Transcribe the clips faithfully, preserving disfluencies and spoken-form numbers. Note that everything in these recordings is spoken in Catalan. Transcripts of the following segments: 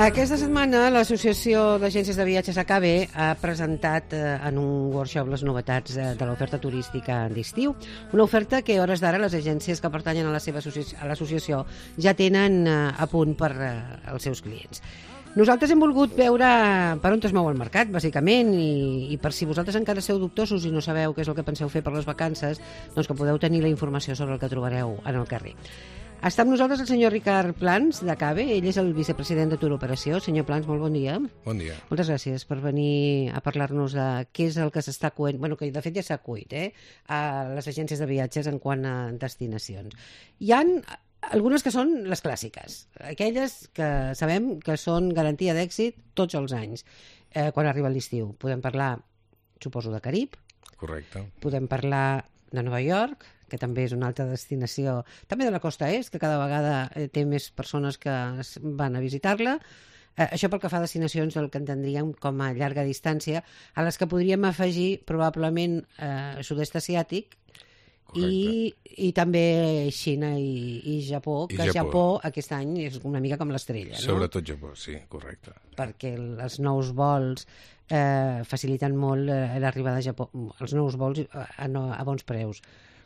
Aquesta setmana l'Associació d'Agències de Viatges A K B ha presentat eh, en un workshop les novetats eh, de l'oferta turística d'estiu, una oferta que a hores d'ara les agències que pertanyen a la seva associ a l'associació ja tenen eh, a punt per eh, als seus clients. Nosaltres hem volgut veure per on es mou el mercat, bàsicament, i, i per si vosaltres encara sou dubtosos i no sabeu què és el que penseu fer per les vacances, doncs que podeu tenir la informació sobre el que trobareu en el carrer. Està amb nosaltres el senyor Ricard Plans, d'A K B, ell és el vicepresident de Tour Operació. Senyor Plans, molt bon dia. Bon dia. Moltes gràcies per venir a parlar-nos de què és el que s'està cuent, bueno, que de fet ja s'ha cuit, eh, a les agències de viatges en quant a destinacions. Hi han algunes que són les clàssiques, aquelles que sabem que són garantia d'èxit tots els anys, eh, quan arriba l'estiu. Podem parlar, suposo, de Carib. Correcte. Podem parlar de Nova York, que també és una altra destinació, també de la costa est, que cada vegada eh, té més persones que van a visitar-la. Eh, això pel que fa a destinacions del que entendríem com a llarga distància, a les que podríem afegir probablement eh, sud-est asiàtic, i, i també Xina i, i Japó, I que Japó. Japó aquest any és una mica com l'estrella, no? Sobretot Japó, sí, correcte. Perquè els nous vols eh, faciliten molt eh, l'arribada a Japó, els nous vols a, a, a bons preus.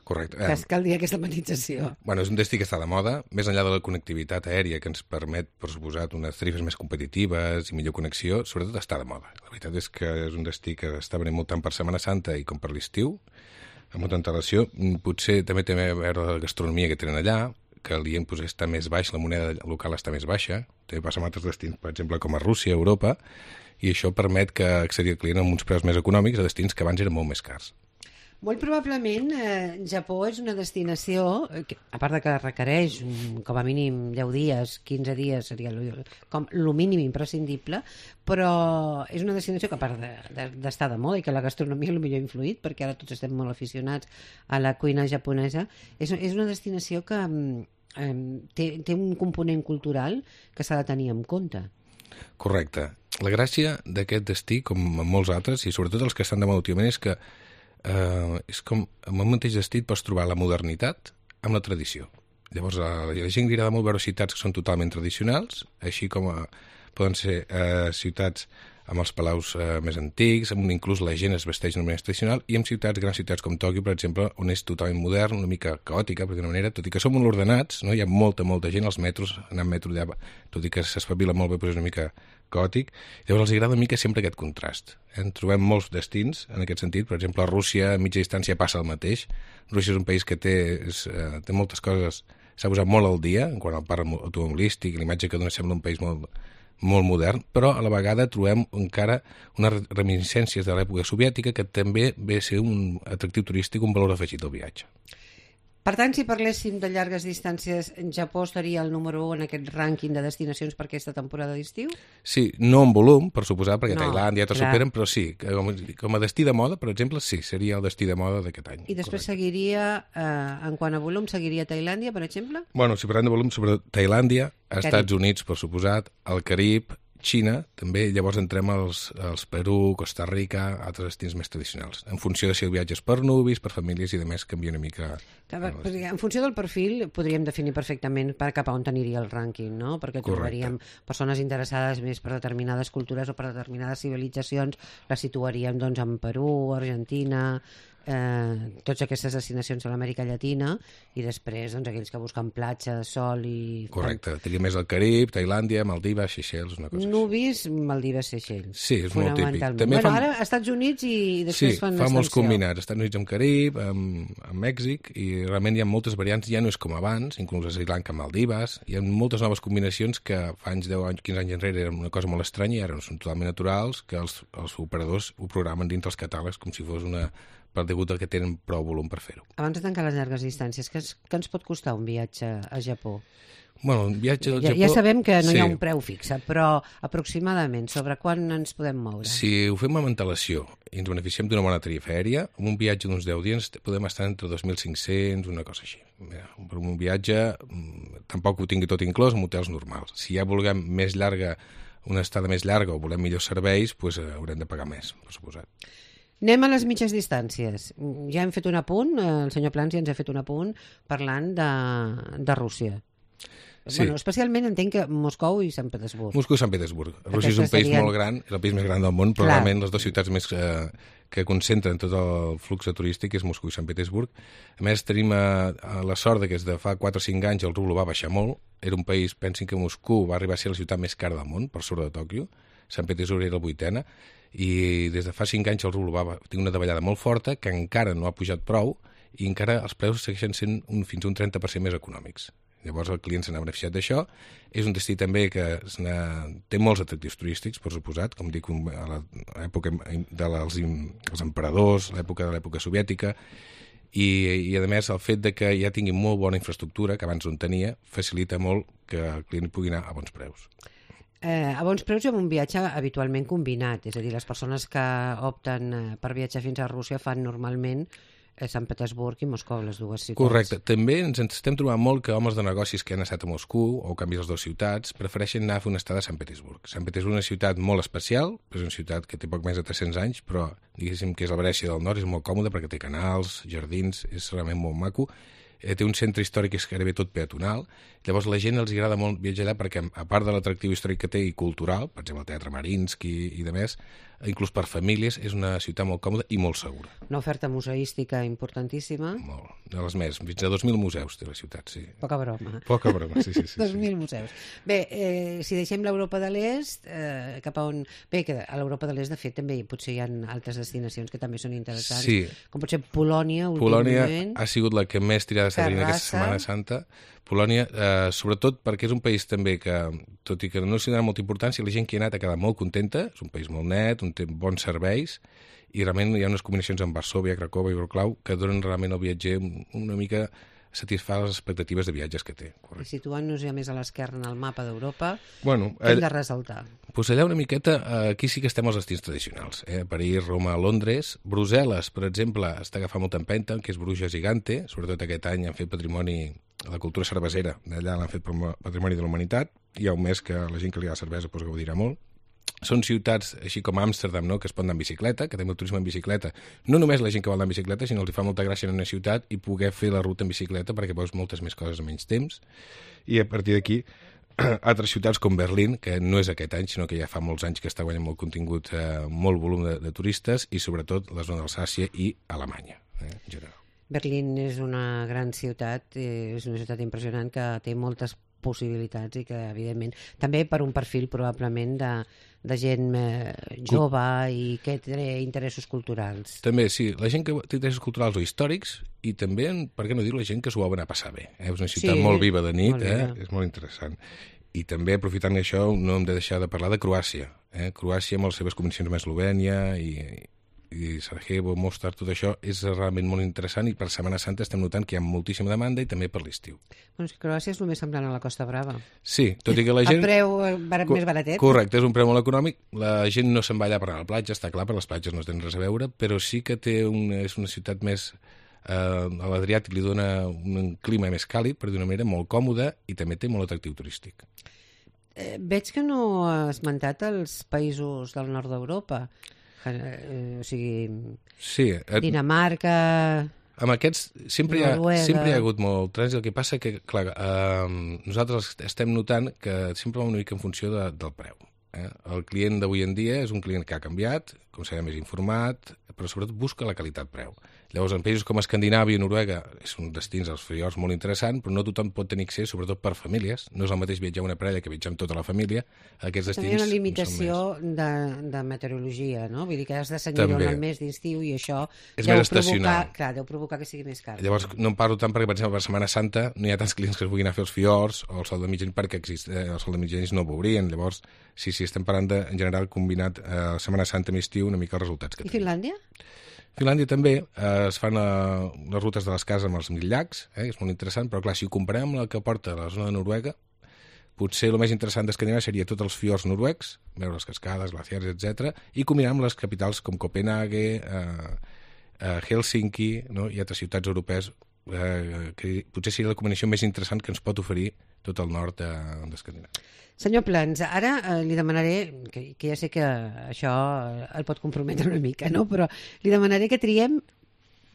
Correcte. Que cal dir aquesta matització. Bueno, és un destí que està de moda, més enllà de la connectivitat aèria que ens permet, per suposat, unes tarifes més competitives i millor connexió, sobretot està de moda. La veritat és que és un destí que està venint molt tant per Setmana Santa i com per l'estiu, amb molta antelació. Potser també té a veure la gastronomia que tenen allà, que l'I E M doncs, està més baix, la moneda local està més baixa. També passa amb altres destins, per exemple, com a Rússia, Europa, i això permet que accedi al client amb uns preus més econòmics a destins que abans eren molt més cars. Molt probablement eh, Japó és una destinació, que, a part de que requereix um, com a mínim deu dies, quinze dies, seria lo, com lo mínim imprescindible, però és una destinació que a part d'estar de, de, de moda i que la gastronomia potser ha influït, perquè ara tots estem molt aficionats a la cuina japonesa, és, és una destinació que eh, té, té un component cultural que s'ha de tenir en compte. Correcte. La gràcia d'aquest destí, com en molts altres, i sobretot els que estan de moda últimament, és que Uh, és com en el mateix destí pots trobar la modernitat amb la tradició. Llavors a la gent li agrada molt veure ciutats que són totalment tradicionals, així com a, poden ser uh, ciutats amb els palaus uh, més antics, on inclús la gent es vesteix d'una manera tradicional, i amb ciutats, grans ciutats com Tòquio, per exemple, on és totalment modern, una mica caòtica, per d'una manera, tot i que som molt ordenats, no? Hi ha molta, molta gent als metros, anar en metro allà, tot i que s'espavila molt bé, però és una mica caòtic. Llavors els agrada una mica sempre aquest contrast. En trobem molts destins en aquest sentit. Per exemple, a Rússia, a mitja distància, passa el mateix. Rússia és un país que té, és, uh, té moltes coses, s'ha posat molt al dia, en quant al parc automobilístic, l'imatge que dona sembla un país molt molt modern, però a la vegada trobem encara unes reminiscències de l'època soviètica que també ve a ser un atractiu turístic, un valor afegit al viatge. Per tant, si parléssim de llargues distàncies, Japó estaria el número u en aquest rànquing de destinacions per aquesta temporada d'estiu? Sí, no en volum, per suposar, perquè no, Tailàndia ja te clar. superen, però sí, com, com a destí de moda, per exemple, sí, seria el destí de moda d'aquest any. I després correcte. Seguiria, eh, en quant a volum, seguiria Tailàndia, per exemple? Bueno, si parlem de volum, sobre Tailàndia, Estats Units, per suposat, el Carib, Xina, també, llavors entrem als, als Perú, Costa Rica, altres destins més tradicionals, en funció de si el viatge és per nuvis, per famílies i de més canvia una mica. Clar, en funció del perfil podríem definir perfectament per cap a on aniria el rànquing, no? Perquè trobaríem Correcte. Persones interessades més per determinades cultures o per determinades civilitzacions, les situaríem doncs en Perú, Argentina, eh, totes aquestes destinacions de l'Amèrica Llatina, i després doncs aquells que busquen platja, sol i... Correcte, tenia més el Carib, Tailàndia, Maldives, Seychelles, una cosa així. Nuvis, Maldives, Seychelles. Sí, és molt típic. També bueno, fan... ara Estats Units i després sí, fan fa molts l'extensió. combinats, Estats Units amb Carib, amb, amb Mèxic, i realment hi ha moltes variants, ja no és com abans, inclús a Sri Lanka amb Maldives, hi ha moltes noves combinacions que fa anys, deu anys, quinze anys enrere eren una cosa molt estranya i ara són totalment naturals, que els, els operadors ho programen dintre els catàlegs com si fos una... per degut al que tenen prou volum per fer-ho. Abans de tancar les llargues distàncies, què, es, què ens pot costar un viatge a Japó? Bueno, un viatge al ja, Japó... Ja sabem que no sí. hi ha un preu fixe, però aproximadament sobre quan ens podem moure? Si ho fem amb antelació i ens beneficiem d'una bona tarifa aèria, amb un viatge d'uns deu dies podem estar entre dos mil cinc-cents, una cosa així. Per un viatge tampoc ho tingui tot inclòs amb hotels normals. Si ja vulguem més llarga, una estada més llarga o volem millors serveis, doncs haurem de pagar més, per suposat. Anem a les mitges distàncies. Ja hem fet un apunt, el senyor Plans ja ens ha fet un apunt parlant de, de Rússia. Sí. Bueno, especialment entenc que Moscou i Sant Petersburg. Moscou i Sant Petersburg. Rússia és un país serien... molt gran, és el país més gran del món, però Clar. realment les dues ciutats més eh, que concentren tot el flux turístic és Moscou i Sant Petersburg. A més, tenim eh, la sort de que des de fa quatre o cinc anys el rublo va baixar molt. Era un país, pensin que Moscou va arribar a ser la ciutat més cara del món, per sobre de Tòquio. Sant Petersburg era la vuitena. I des de fa cinc anys el rublo va tenir una davallada molt forta, que encara no ha pujat prou, i encara els preus segueixen sent un, fins a un trenta per cent més econòmics. Llavors el client se n'ha beneficiat d'això. És un destí també que té molts atractius turístics, per suposat, com dic, a l'època dels els emperadors, l'època de l'època soviètica, i, i a més el fet de que ja tingui molt bona infraestructura, que abans no en tenia, facilita molt que el client pugui anar a bons preus. Eh, a bons preus i amb un viatge habitualment combinat, és a dir, les persones que opten per viatjar fins a Rússia fan normalment Sant Petersburg i Moscou, les dues ciutats. Correcte. També ens estem trobant molt que homes de negocis que han estat a Moscou o canvis les dues ciutats prefereixen anar a fer una estada a Sant Petersburg. Sant Petersburg és una ciutat molt especial, és una ciutat que té poc més de tres-cents anys, però diguéssim que és la Venècia del Nord, és molt còmode perquè té canals, jardins, és realment molt maco. Eh, té un centre històric que és gairebé tot peatonal. Llavors la gent els agrada molt viatjar allà perquè, a part de l'atractiu històric que té i cultural, per exemple el Teatre Mariinsky i de més, inclús per famílies, és una ciutat molt còmoda i molt segura. Una oferta museística importantíssima. Molt, de les més. Fins a dos mil museus té la ciutat, sí. Poca broma. Poca broma, sí, sí. sí dos mil sí. museus. Bé, eh, si deixem l'Europa de l'Est, eh, cap a on... Bé, que a l'Europa de l'Est, de fet, també potser hi ha altres destinacions que també són interessants, sí. com pot ser Polònia, Polònia últimament. ha sigut la que més tirada s'ha tenint aquesta Setmana Santa. Polònia, eh, sobretot perquè és un país també que, tot i que no s'hi dona molta importància, la gent que hi ha anat ha quedat molt contenta, és un país molt net, on té bons serveis, i realment hi ha unes combinacions amb Varsòvia, Cracòvia i Wrocław que donen realment al viatger una mica satisfar les expectatives de viatges que té. Correcte. I situant-nos ja més a l'esquerra en el mapa d'Europa, bueno, què hem de ressaltar? Doncs allà una miqueta, aquí sí que estem als destins tradicionals. Eh? París, Roma, Londres. Brussel·les, per exemple, està agafant molta empenta, que és Bruges i Gante. Sobretot aquest any han fet patrimoni, la cultura cervesera, d'allà l'han fet patrimoni de la humanitat. Hi ha un mes que la gent que li agrada cervesa doncs, gaudirà molt. Són ciutats, així com Amsterdam, no?, que es pot anar en bicicleta, que també el turisme en bicicleta. No només la gent que vol anar en bicicleta, sinó els fa molta gràcia en una ciutat i poder fer la ruta en bicicleta perquè veus moltes més coses en menys temps. I a partir d'aquí, altres ciutats com Berlín, que no és aquest any, sinó que ja fa molts anys que està guanyant molt contingut, eh, molt volum de, de turistes, i sobretot la zona d'Alsàcia i Alemanya, eh, en general. Berlín és una gran ciutat, és una ciutat impressionant que té moltes possibilitats i que, evidentment, també per un perfil probablement de, de gent eh, jove i que té interessos culturals. També, sí, la gent que té interessos culturals o històrics i també, per què no dir, la gent que s'ho va anar a passar bé. Eh? És una ciutat sí, molt viva de nit, molt eh? és molt interessant. I també, aprofitant això, no hem de deixar de parlar de Croàcia. Eh? Croàcia amb les seves combinacions amb Eslovènia i... i Sarajevo, Mostar, tot això és realment molt interessant i per Setmana Santa estem notant que hi ha moltíssima demanda i també per l'estiu. Bueno, és que Croàcia és el més semblant a la Costa Brava. Sí, tot i que la gent... El preu barat, més baratet. Correcte, és un preu molt econòmic. La gent no se'n va allà per anar a la platja, està clar, per les platges no tenen res a veure, però sí que té una, és una ciutat més... Eh, a l'Adriàtic li dona un clima més càlid, per dir una manera, molt còmode i també té molt atractiu turístic. Eh, veig que no has esmentat els països del nord d'Europa. Eh, o sigui, sí, eh, Dinamarca, amb aquests sempre hi, ha, Noruega. sempre hi ha hagut molt trànsit. El que passa que, clar, eh, nosaltres estem notant que sempre va una mica en funció de, del preu. Eh? El client d'avui en dia és un client que ha canviat, com serà més informat, però sobretot busca la qualitat-preu. Llavors, en països com Escandinàvia i Noruega són destins als fiords molt interessants, però no tothom pot tenir accés, sobretot per famílies. No és el mateix viatjar una parella que viatjar amb tota la família. Aquests destins també hi ha una limitació de, de meteorologia, no? Vull dir que has de senyir en el mes d'estiu i això és deu més provocar, clar, deu provocar que sigui més car. Llavors, no en parlo tant perquè, per exemple, per Setmana Santa no hi ha tants clients que es vulguin anar a fer els fiords o el sol de mitjanit perquè exist, eh, el sol de mitjanit no ho veurien. Llavors, sí, sí, estem parlant de, en general, combinat eh, Setmana Santa i estiu, una mica els resultats que I Finlàndia? Finlàndia també eh, es fan eh, les rutes de les cases amb els mil llacs, eh, és molt interessant, però clar, si ho comparem amb la que porta la zona de Noruega, potser el més interessant d'Escandinàvia seria tots els fiords noruecs, veure les cascades, glaciars, etcètera, i combinar amb les capitals com Copenhague, eh, eh, Helsinki, no? I altres ciutats europees, eh, que potser seria la combinació més interessant que ens pot oferir tot el nord d'Escandinàvia. Senyor Plans, ara eh, li demanaré, que, que ja sé que això el pot comprometre una mica, no? Però li demanaré que triem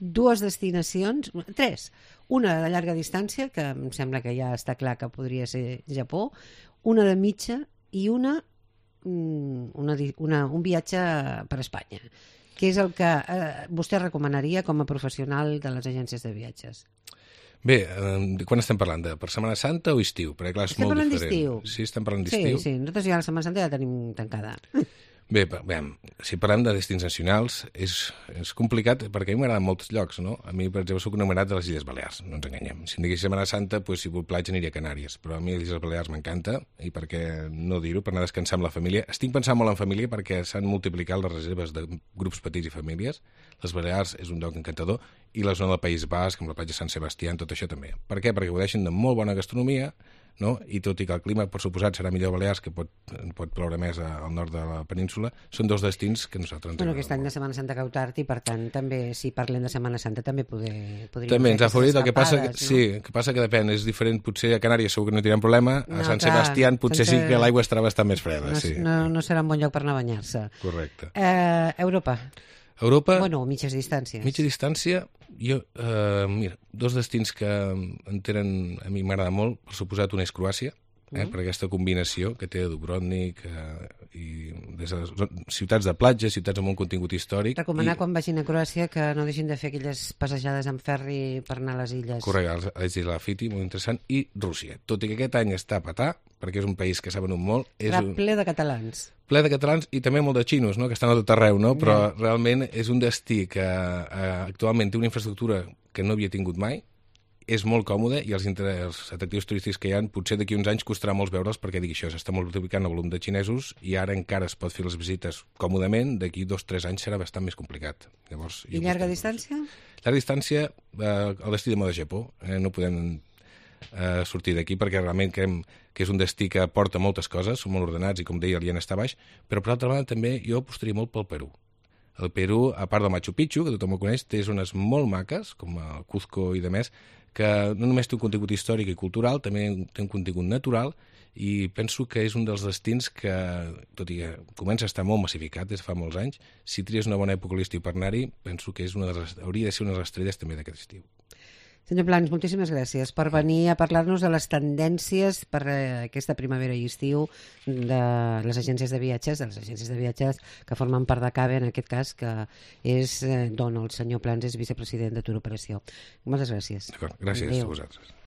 dues destinacions, tres, una de llarga distància, que em sembla que ja està clar que podria ser Japó, una de mitja i una, una, una un viatge per Espanya. Què és el que eh, vostè recomanaria com a professional de les agències de viatges? Bé, eh, quan estem parlant? De per Setmana Santa o estiu? Perquè clar, és estem molt parlant diferent. d'estiu. Sí, estem parlant d'estiu. Sí, sí, nosaltres ja la Setmana Santa ja la tenim tancada. Bé, bé, si parlem de destins nacionals, és, és complicat perquè a mi m'agraden molts llocs, no? A mi, per exemple, soc enamorat de les Illes Balears, no ens enganyem. Si em digués Setmana Santa, pues, si vull platja aniria a Canàries, però a mi les Illes Balears m'encanta, i per què no dir-ho, per anar a descansar amb la família. Estic pensant molt en família perquè s'han multiplicat les reserves de grups petits i famílies. Les Balears és un lloc encantador, i la zona del País Basc, com la platja Sant Sebastià, tot això també. Per què? Perquè gaudeixen de molt bona gastronomia, no? I tot i que el clima, per suposat, serà millor a Balears, que pot, pot ploure més al nord de la península, són dos destins que nosaltres ens bueno, aquest any de Setmana Santa cau tard i, per tant, també, si parlem de Setmana Santa, també poder, podríem també ens ha favorit, el que passa que, no? sí, el que passa que depèn, és diferent, potser a Canàries segur que no tindrem problema, a no, Sant clar, Sebastià potser sense... sí que l'aigua estarà bastant més freda. No, sí. no, no serà un bon lloc per anar a banyar-se. Correcte. Eh, Europa. Europa... Bueno, mitges distàncies. Mitja distància, jo, eh, mira, dos destins que em tenen, a mi m'agrada molt, per suposat, un és Croàcia, eh, per aquesta combinació que té Dubrovnik eh, i des de ciutats de platja, ciutats amb un contingut històric. Recomanar i... quan vagin a Croàcia que no deixin de fer aquelles passejades en ferri per anar a les illes. Correcte, les illes Lafiti, molt interessant, i Rússia. Tot i que aquest any està a petar, perquè és un país que s'ha venut molt. És Clar, un... ple de catalans. Ple de catalans i també molt de xinos, no? Que estan a tot arreu, no? Però yeah. realment és un destí que eh, actualment té una infraestructura que no havia tingut mai, és molt còmode i els, els atractius turístics que hi ha potser d'aquí uns anys costarà molts veure'ls perquè dic això, s'està multiplicant el volum de xinesos i ara encara es pot fer les visites còmodament, d'aquí dos o tres anys serà bastant més complicat. Llavors, I llarga distància? Llarga distància, eh, el destí de moda Japó, eh, no podem eh, sortir d'aquí perquè realment creiem que és un destí que porta moltes coses, són molt ordenats i com deia el ien està baix, però per altra banda també jo apostaria molt pel Perú. El Perú, a part del Machu Picchu, que tothom ho coneix, té zones molt maques, com el Cuzco i de més, que no només té un contingut històric i cultural, també té un contingut natural, i penso que és un dels destins que, tot i que comença a estar molt massificat des de fa molts anys, si tries una bona època a l'estiu per anar-hi, penso que és una de les, hauria de ser una de les estrelles també d'aquest estiu. Senyor Plans, moltíssimes gràcies per venir a parlar-nos de les tendències per eh, aquesta primavera i estiu de les agències de viatges, de les agències de viatges que formen part de CABE, en aquest cas, que és, eh, d'on el senyor Plans és vicepresident de Tour Operació. Moltes gràcies. D'acord, gràcies Adéu. a vosaltres.